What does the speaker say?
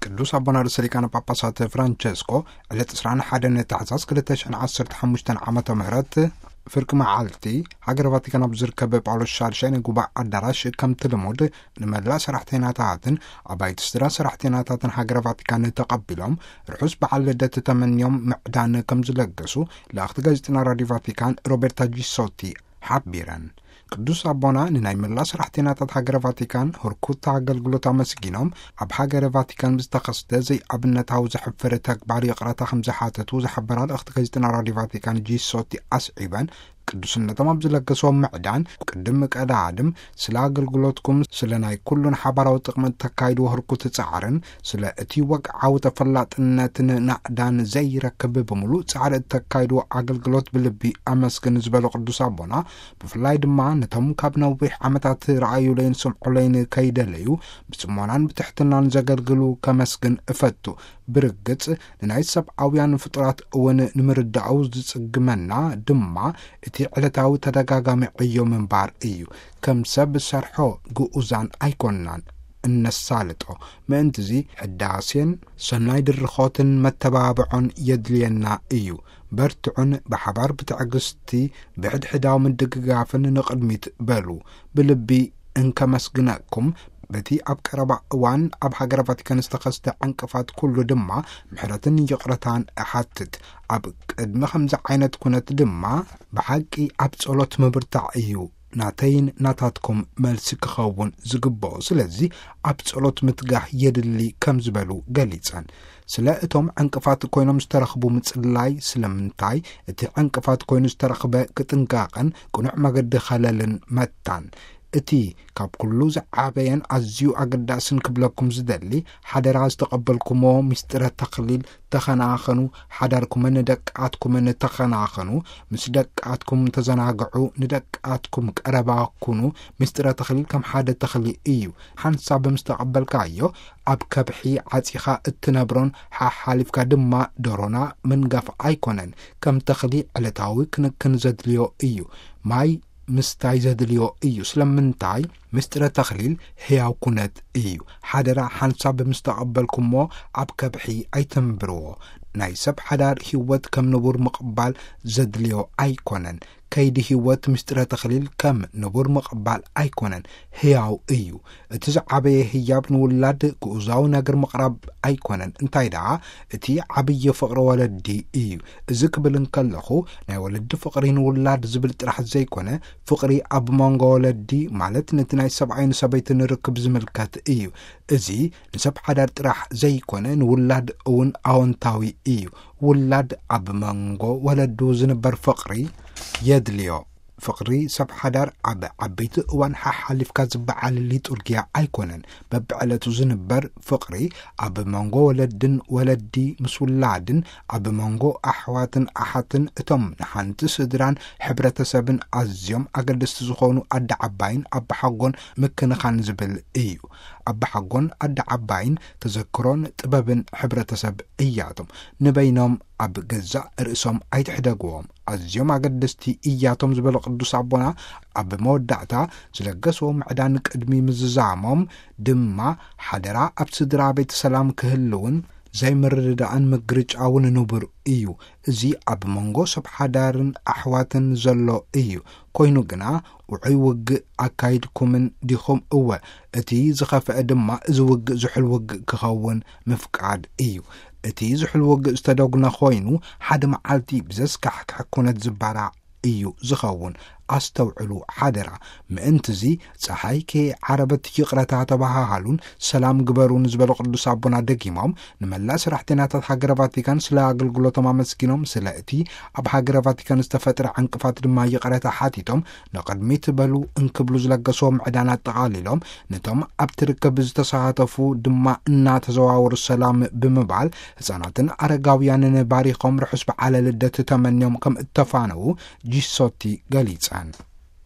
ቅዱስ ኣቦና ርእሰ ሊቃነ ጳጳሳት ፍራንቸስኮ ዕለት ዕስራን ሓደን ታሕሳስ ክልተ ሽሕን ዓሰርተ ሓሙሽተን ዓመተ ምህረት ፍርቂ መዓልቲ ሃገረ ቫቲካን ኣብ ዝርከብ ጳውሎስ ሻድሻይ ናይ ጉባኤ ኣዳራሽ ከምቲ ልሙድ ንመላእ ሰራሕተኛታትን ኣባይቲ ስድራ ሰራሕተኛታትን ሃገረ ቫቲካን ተቐቢሎም ርሑስ በዓል ልደት ተመንዮም ምዕዳን ከም ዝለገሱ ለኣኽቲ ጋዜጠና ራዲዮ ቫቲካን ሮቤርታ ጂሶቲ ሓቢረን። ቅዱስ ኣቦና ንናይ መላእ ሰራሕተኛታት ሃገረ ቫቲካን ህርኩት ኣገልግሎት ኣመስጊኖም፣ ኣብ ሃገረ ቫቲካን ብዝተኸስተ ዘይኣብነታዊ ዘሕፍር ተግባር ይቕረታ ከም ዝሓተቱ ዝሓበራ ልእኽቲ ጋዜጠና ራዲዮ ቫቲካን ጂሶቲ ኣስዒበን፣ ቅዱስነቶም ኣብ ዝለገስዎም ምዕዳን ቅድም ቀዳድም ስለ ኣገልግሎትኩም፣ ስለ ናይ ኩሉን ሓባራዊ ጥቕሚ እተካይድዎ ህርኩት ጻዕርን ስለ እቲ ወግዓዊ ተፈላጥነትን ናእዳን ዘይረክብ ብምሉእ ጻዕሪ እተካይድዎ ኣገልግሎት ብልቢ ኣመስግን ዝበሉ ቅዱስ ኣቦና፣ ብፍላይ ድማ ነቶም ካብ ነዊሕ ዓመታት ረኣዩለይን ስምዑለይን ከይደለዩ ብጽሞናን ብትሕትናን ዘገልግሉ ከመስግን እፈቱ። ብርግጽ ንናይ ሰብኣውያን ፍጡራት እውን ንምርዳኡ ዝጽግመና ድማ እቲ ዕለታዊ ተደጋጋሚ ዕዮ ምንባር እዩ። ከም ሰብ ሰርሖ ግኡዛን ኣይኮንናን እነሳልጦ። ምእንትዚ ሕዳሴን ሰናይ ድርኾትን መተባብዖን የድልየና እዩ። በርትዑን ብሓባር ብትዕግስቲ ብሕድሕዳዊ ምድግጋፍን ንቕድሚት በሉ። ብልቢ እንከመስግነኩም በቲ ኣብ ቀረባ እዋን ኣብ ሃገረ ቫቲካን ዝተኸስተ ዕንቅፋት ኩሉ ድማ ምሕረትን ይቕረታን እሓትት። ኣብ ቅድሚ ከምዚ ዓይነት ኩነት ድማ ብሓቂ ኣብ ጸሎት ምብርታዕ እዩ ናተይን ናታትኩም መልሲ ክኸውን ዝግብኦ። ስለዚ ኣብ ጸሎት ምትጋህ የድሊ ከም ዝበሉ ገሊጸን። ስለ እቶም ዕንቅፋት ኮይኖም ዝተረኽቡ ምጽላይ፣ ስለምንታይ እቲ ዕንቅፋት ኮይኑ ዝተረኽበ ቅጥንቃቐን ቅኑዕ መገዲ ኸለልን መታን። እቲ ካብ ኩሉ ዝዓበየን ኣዝዩ ኣገዳስን ክብለኩም ዝደሊ፣ ሓደራ ዝተቐበልኩሞ ምስጢረ ተኽሊል ተኸናኸኑ፣ ሓዳርኩምን ደቃትኩምን ተኸናኸኑ፣ ምስ ደቃትኩም ተዘናግዑ፣ ንደቃትኩም ቀረባ ኩኑ፣ ምስጢረ ተኽሊል ከም ሓደ ተኽሊ እዩ። ሓንሳብ ምስ ተቐበልካዮ፣ ኣብ ከብሒ ዓጺኻ እትነብሮን ሓሓሊፍካ ድማ ደሮና ምንጋፍ ኣይኮነን። ከም ተኽሊ ዕለታዊ ክንክን ዘድልዮ እዩ። ማይ ምስታይ ዘድልዮ እዩ። ስለምንታይ? ምስጢረ ተኽሊል ህያው ኩነት እዩ። ሓደራ ሓንሳብ ምስ ተቐበልኩሞ ኣብ ከብሒ ኣይተንብርዎ። ናይ ሰብ ሓዳር ህይወት ከም ንቡር ምቕባል ዘድልዮ ኣይኮነን። ከይዲ ህይወት ምስጢረ ተኽሊል ከም ንቡር ምቕባል ኣይኮነን፣ ህያው እዩ። እቲ ዝዓበየ ህያብ ንውላድ ግኡዛዊ ነገር ምቕራብ ኣይኮነን፣ እንታይ ደኣ እቲ ዓብዪ ፍቕሪ ወለዲ እዩ። እዚ ክብል እንከለኹ ናይ ወለዲ ፍቕሪ ንውላድ ዝብል ጥራሕ ዘይኮነ፣ ፍቕሪ ኣብ መንጎ ወለዲ ማለት ነቲ ናይ ሰብኣይን ሰበይትን ርክብ ዝምልከት እዩ። እዚ ንሰብ ሓዳር ጥራሕ ዘይኮነ ንውላድ እውን ኣወንታዊ እዩ። ውላድ ኣብ መንጎ ወለዱ ዝንበር ፍቕሪ የድልዮ። ፍቕሪ ሰብ ሓዳር ኣብ ዓበይቲ እዋን ሓሓሊፍካ ዝበዓል ሊጡርጊያ ኣይኮነን። በብዕለቱ ዝንበር ፍቕሪ ኣብ መንጎ ወለድን ወለዲ ምስ ውላድን ኣብ መንጎ ኣሕዋትን ኣሓትን እቶም ንሓንቲ ስድራን ሕብረተሰብን ኣዝዮም ኣገደስቲ ዝኾኑ ኣደ ዓባይን ኣባሓጎን ምክንኻን ዝብል እዩ። ኣባሓጎን ኣደ ዓባይን ተዘክሮን ጥበብን ሕብረተሰብ እያቶም። ንበይኖም ኣብ ገዛእ ርእሶም ኣይትሕደግዎም። ኣዝዮም ኣገደስቲ እያቶም ዝበሉ ቅዱስ ኣቦና ኣብ መወዳእታ ዝለገስዎ ምዕዳን ቅድሚ ምዝዛሞም ድማ ሓደራ ኣብ ስድራ ቤት ሰላም ክህልውን ዘይምርድዳእን ምግርጫውን ንቡር እዩ። እዚ ኣብ መንጎ ሰብ ሓዳርን ኣሕዋትን ዘሎ እዩ። ኮይኑ ግና ውዑይ ውግእ ኣካይድኩምን ዲኹም? እወ፣ እቲ ዝኸፍአ ድማ እዚ ውግእ ዝሑል ውግእ ክኸውን ምፍቃድ እዩ። እቲ ዝሑል ውግእ ዝተደጉነ ኮይኑ ሓደ መዓልቲ ብዘስካሕክሕ ኩነት ዝበራዕ እዩ ዝኸውን። ኣስተውዕሉ ሓደራ። ምእንትዚ ጸሓይ ከይዓረበት ይቕረታ ተባሃሃሉን ሰላም ግበሩን ዝበሉ ቅዱስ ኣቦና ደጊሞም ንመላእ ሰራሕተኛታት ሃገረ ቫቲካን ስለ ኣገልግሎቶም ኣመስጊኖም ስለ እቲ ኣብ ሃገረ ቫቲካን ዝተፈጥረ ዕንቅፋት ድማ ይቕረታ ሓቲቶም ንቕድሚት በሉ እንክብሉ ዝለገስዎ ምዕዳን ኣጠቓሊሎም ነቶም ኣብቲ ርክብ ዝተሳተፉ ድማ እናተዘዋወሩ ሰላም ብምባል ህፃናትን ኣረጋውያንን ባሪኾም ርሑስ በዓለ ልደት ተመንዮም ከም እተፋነዉ ጂሶቲ ገሊጸን።